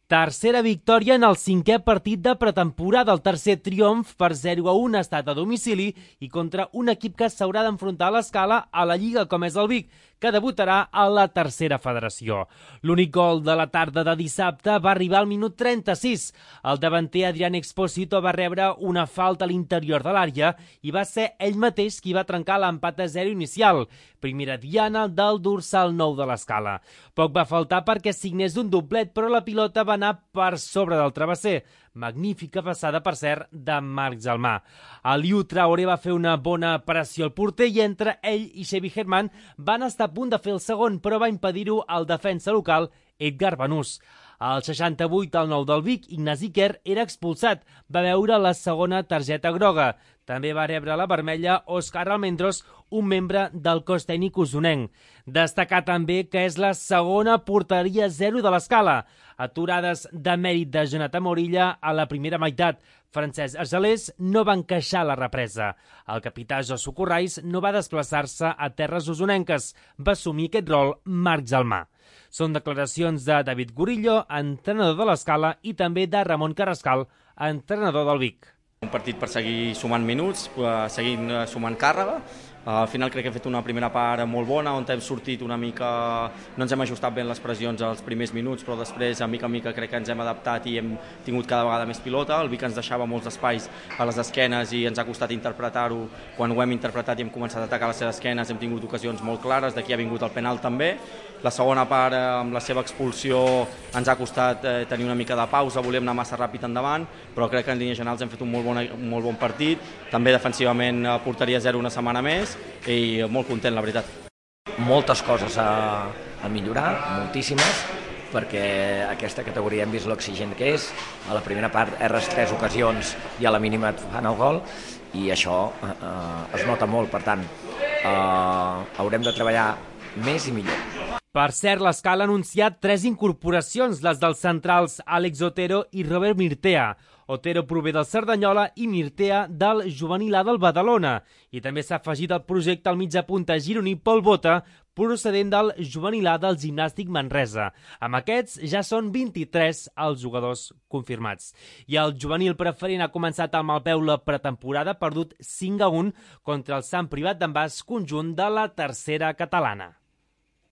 Tercera victòria en el cinquè partit de pretemporada. El tercer triomf per 0-1 ha estat a domicili i contra un equip que s'haurà d'enfrontar a l'Escala a la Lliga, com és el Vic, que debutarà a la tercera federació. L'únic gol de la tarda de dissabte va arribar al minut 36. El davanter Adrián Expósito va rebre una falta a l'interior de l'àrea i va ser ell mateix qui va trencar l'empat a 0 inicial. Primera diana del dorsal 9 de l'Escala. Poc va faltar perquè signés un doblet, però la pilota va anar per sobre del travesser. Magnífica passada, per cert, de Marc Gelmà. Aliou Traoré va fer una bona pressió al porter i entre ell i Xevi Herman van estar a punt de fer el segon, però va impedir-ho el defensa local Edgar Banús. Al 68, al 9 del Vic, Ignasi Quer era expulsat. Va veure la segona targeta groga. També va rebre la vermella Òscar Almendros, un membre del cos tècnic usonenc. Destacar també que és la segona porteria 0 de l'Escala. Aturades de mèrit de Jonathan Morilla a la primera meitat. Francesc Argelers no va encaixar la represa. El capità Josu Corrais no va desplaçar-se a terres usonenques. Va assumir aquest rol Marc Gelmà. Són declaracions de David Gurillo, entrenador de l'Escala, i també de Ramon Carrascal, entrenador del Vic. Un partit per seguir sumant minuts, seguint sumant càrrega. Al final crec que hem fet una primera part molt bona, on hem sortit una mica, no ens hem ajustat ben les pressions als primers minuts, però després, a mica crec que ens hem adaptat i hem tingut cada vegada més pilota. El Vic ens deixava molts espais a les esquenes i ens ha costat interpretar-ho. Quan ho hem interpretat i hem començat a atacar les seves esquenes hem tingut ocasions molt clares, d'aquí ha vingut el penal també. La segona part, amb la seva expulsió, ens ha costat tenir una mica de pausa, volíem anar massa ràpid endavant, però crec que en línies generals hem fet un molt bon partit. També defensivament porteria 0 una setmana més i molt content, la veritat. Moltes coses a millorar, moltíssimes, perquè aquesta categoria hem vist l'exigent que és. A la primera part erres 3 ocasions i a la mínima et fan el gol i això es nota molt, per tant haurem de treballar més i millor. Per cert, l'Escala ha anunciat 3 incorporacions, les dels centrals Àlex Otero i Robert Mirtea. Otero prové del Cerdanyola i Mirtea del Juvenil A del Badalona. I també s'ha afegit al projecte el mitjapunta gironí Pol Bota, procedent del Juvenil A del Gimnàstic Manresa. Amb aquests ja són 23 els jugadors confirmats. I el juvenil preferent ha començat amb el peu la pretemporada, perdut 5-1 contra el Sant Privat d'en Bas, conjunt de la tercera catalana.